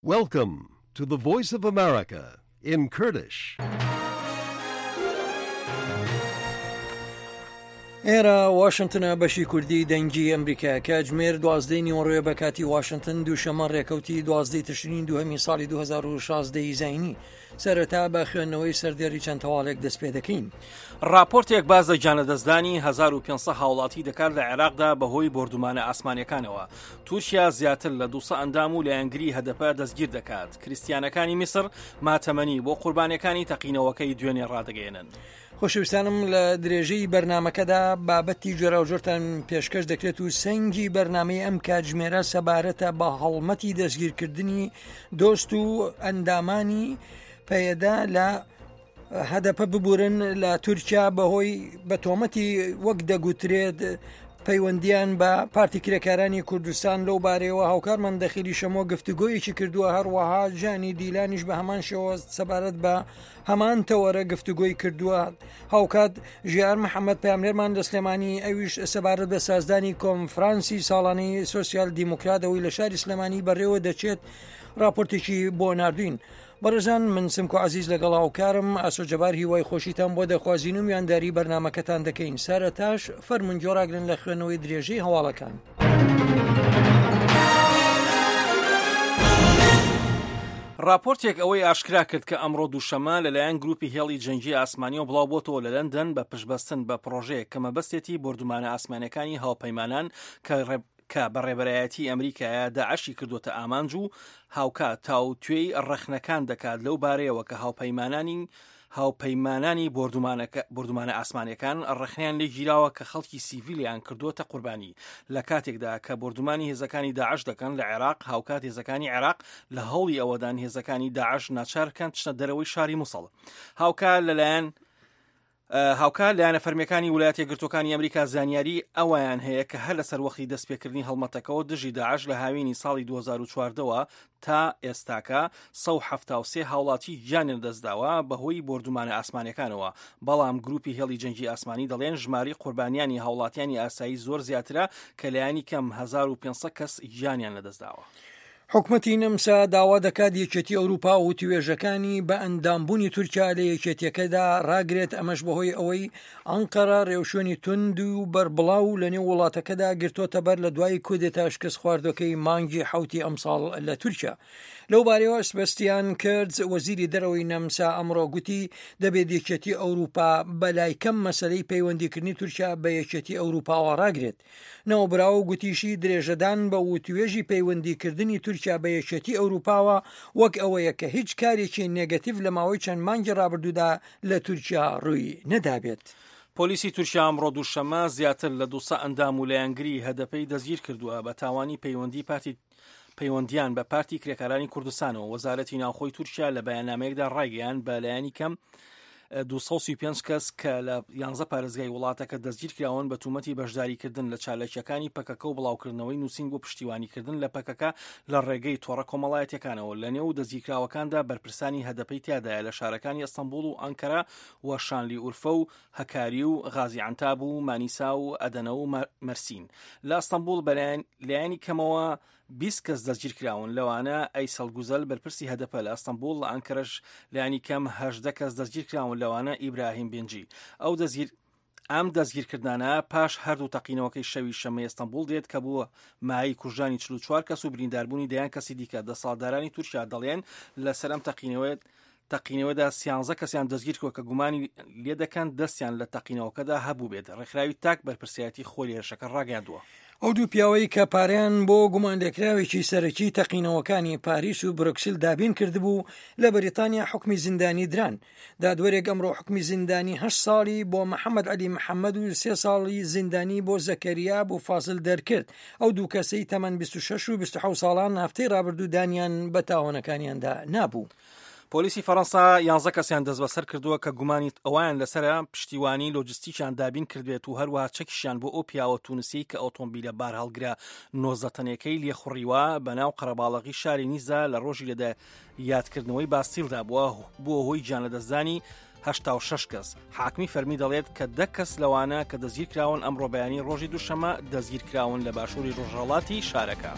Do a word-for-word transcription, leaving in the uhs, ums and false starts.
Welcome to the Voice of America in Kurdish. ئێرە واشنتنە بەشی کوردی دەنگی ئەمریکا کاتژمێر دوازدەی نیوەڕۆیە بە کاتی واشنتن دووشەممە ڕێکەوتی دوازدەی تشرین دووهەمی ساڵی دوو هەزار و شازدە ی زایینی. سەرەتا بە خوێندنەوەی سەردێڕی چەند هەواڵێک دەست پێ دەکەین. ڕاپۆرتێک باس لە گیانلەدەستدانی هەزار و پێنج سەد هاوڵاتی دەکات لە عێراقدا بەهۆی بۆردومانە ئاسمانیەکانەوە. تورکیا زیاتر لە دوو سەد ئەندام و لایەنگری هەدەپە دەستگیر دەکات. کریستیانەکانی میسر ماتەمەنی بۆ قوربانیەکانی تەقینەوەکەی دوێنێ ڕادەگەیەنن. خۆشەویستانم لە درێژەی بەرنامەکەدا بابەتی جۆراوجۆرتان پێشکەش دەکرێت و سەنگی بەرنامەی ئەم کاتژمێرە سەبارەتە بە هەڵمەتی دەستگیرکردنی دۆست و ئەندامانی پەیەدە لە هەدەپە ببورن لە تورکیا بەهۆی بە تۆمەتی وەک دەگوترێت پەیوەندیان بە پارتی کرێکارانی کوردستان لەو بارەیەوە هاوکارمان دەخیلی شەمۆ گفتوگۆیەکی کردووە، هەروەها ژانی دیلانیش بە هەمان شێوە سەبارەت بە هەمان تەوەرە گفتوگۆی کردووە. هاوکات ژیار محەممەد پاملێرمان لە سلێمانی ئەویش سەبارەت بە سازدانی کۆنفرانسی ساڵانەی سۆسیال دیموکراتەوەی لە شاری سلێمانی بەڕێوە دەچێت راپۆرتێکی بۆ ناردوین. بەڕێزان من سمکۆ عەزیز لەگەڵ هاوکارم ئاسۆ جەبار هیوای خۆشیتان بۆ دەخوازین و میوانداری بەرنامەکەتان دەکەین. سەرەتاش فەرمونون گۆڕاگرن لە خوێنەوەی درێژەی هەواڵەکان. راپۆرتێک ئەوەی ئاشکرا کرد کە ئەمڕۆ دووشەممە لەلایەن گروپی هێڵی جەنگی ئاسمانیەوە بڵاو بۆتەوە لە لەندەن بە پشتبەستن بە پڕۆژەیەک کە مەبەستێتی بۆردومانە ئاسمانیەکانی هاوپەیمانان کە کە بە ڕێبەرایەتی ئەمریکایە داعشی کردوتە ئامانج و هاوکات تاوتوێی ڕەخنەکان دەکات لەو بارەیەوە کە هاوپەیمانانی هاوپەیمانانی بۆردومانە ئاسمانیەکان ڕەخنەیان لێگیراوە کە خەڵکی سیڤیلیان کردووەتە قوربانی لە کاتێکدا کە بۆردومانی هێزەکانی داعش دەکەن لە عێراق. هاوکات هێزەکانی عێراق لە هەوڵی ئەوەدان هێزەکانی داعش ناچار بکەن بچنە دەرەوەی شاری موسڵ. هاوکات لەلایەن هاوکات لایەنە فەرمیەکانی وڵاتە یەکگرتووەکانی ئەمریکا زانیاری ئەویان هەیە کە هەر لەسەر وەختی دەستپێکردنی هەڵمەتەکەەوە دژی داعش لە هاوینی ساڵی دوو هەزار و چواردە وە تا ئێستاکە سەد و حەفتا و سێ هاوڵاتی گیانیان لەدەستداوە بەهۆی بۆردومانە ئاسمانیەکانەوە، بەڵام گروپی هێڵی جەنگی ئاسمانی دەڵێن ژمارەی قوربانیانی هاوڵاتیانی ئاسایی زۆر زیاترە کە لایەنی کەم هەزار و پێنج سەد کەس گیانیان لەدەستداوە. حکومەتی نەمسا داوا دەکات یەکێتی ئەوروپا و توێژەکانی بە ئەندامبوونی تورکیا لە یەکێتیەکەدا ڕاگرێت، ئەمەش بەهۆی ئەوەی ئەنقەرە ڕێوشوێنی توند و بەربڵاو لەنێو وڵاتەکەدا گرتۆتە بەر لە دوای کودێتا شکست خواردوەکەی مانگی حەوتی ئەمساڵ لە تورکیا. لەو بارەیەوە سبەستیان کرد وەزیری دەرەوەی نەمسا ئەمڕۆ گوتی دەبێت یەکێتی ئەوروپا بەلای کەم مەسەلەی پەیوەندیکردنی تورکیا بە یەکێتی ئەوروپاوە ڕاگرێت. ناوبراو گوتیشی درێژەدان بە وتوێژی پەیوەندیکردنی تورکیا بە یەکێتی ئەوروپاوە وەک ئەوەیە کە هیچ کارێکی نێگەتیڤ لە ماوەی چەند مانگی ڕابردوودا لە تورکیا ڕووی نەدابێت. پۆلیسی تورکیا ئەمڕۆ دووشەممە زیاتر لە دوو سەد ئەندام و لایەنگری هەدەپەی دەستگیر کردووە بە تاوانی پەیوەندی پارتی پەیوەندیان بە پارتی کرێکارانی کوردستانەوە. وەزارەتی ناوخۆی تورکیا لە بەیاننامەیەکدا ڕایگەیاند بە لایەنی کەم دوو سەد و سی و پێنج کەس کە لە یانزە پارێزگای وڵاتەکە دەستگیر کراون بە تومەتی بەشداریکردن لە چالاکیەکانی پەکەکە و بڵاوکردنەوەی نووسین بۆ پشتیوانیکردن لە پەکەکە لە ڕێگەی تۆڕە کۆمەڵایەتیەکانەوە. لە نێو دەستگیرکراوەکاندا بەرپرسانی هەدەپەی تیادایە لە شارەکانی ئەستەنبوڵ و ئەنکەرە و شانلی ئورفە و هەکاری و غازی عەنتاب و مانیسا و ئەدەنە و مەرسین. لە ئەستەنبوڵ بە لایەنی کەمەوە بیست کەس دەستگیر کراون، لەوانە ئەیسەڵ گوزەل بەرپرسی هەدەپە لە ئەستەنبوڵ. لە ئەنکەرەش لایەنی کەم هەژدە کەس دەستگیر کراون، لەوانە ئیبراهیم بنجی. ئەو دەستگیر ئەم دەستگیرکردنانە پاش هەردوو تەقینەوەکەی شەوی شەممەی ئەستەنبوڵ دێت کە بووە مایەی کوژرانی چل و چوار کەس و برینداربوونی دەیان کەسی دیکە. دەسەڵاتدارانی تورکیا دەڵێن لەسەر ئەم تەقینەوەیە تەقینەوەدا سیانزە کەسیان دەستگیر کردووە کە گومانی لێدەکەن دەستیان لە تەقینەوەکەدا هەبوو بێت. ڕێکخراوی تاک بەرپرسیارەتی خۆی لە هێرشەکە ڕاگەیاندووە. ئەو دوو پیاوەی کە پارەیان بۆ گومانلێکراوێکی سەرەکی تەقینەوەکانی پاریس و برۆکسل دابین کردبوو لە بەریتانیا حکمی زیندانی دران. دادوەرێک ئەمڕۆ حکمی زیندانی هەشت ساڵی بۆ محەممەد عەلی محەممەد و سێ ساڵی زیندانی بۆ زەکەریا بۆ فازل دەرکرد. ئەو دوو کەسەی تەمەن بیست و شەش و بیست و حەوت ساڵان هەفتەی ڕابردوو دانیان بە تاوانەکانیاندا نابوو. پۆلیسی فەرەنسا یانزە کەسیان دەستبەسەر کردووە کە گومانی ئەویان لەسەرە پشتیوانی لۆجستیکیان دابین کردبێت و هەروەها چەکیشیان بۆ ئەو پیاوە تونسیەی کە ئۆتۆمبیلە بارهەڵگرە نۆزدە تەنێکەی لێخوڕیوە بەناو قەرەباڵغی شاری نیزا لە ڕۆژی لەدا یادکردنەوەی باستیلدا بووە بووە هۆی گیانلەدەستدانی هەشتا و شەش کەس. حاکمی فەرمی دەڵێت کە دە کەس لەوانە کە دەستگیرکراون ئەمڕۆ بەیانی ڕۆژی دووشەممە دەستگیرکراون لە باشووری ڕۆژهەڵاتی شارەکە.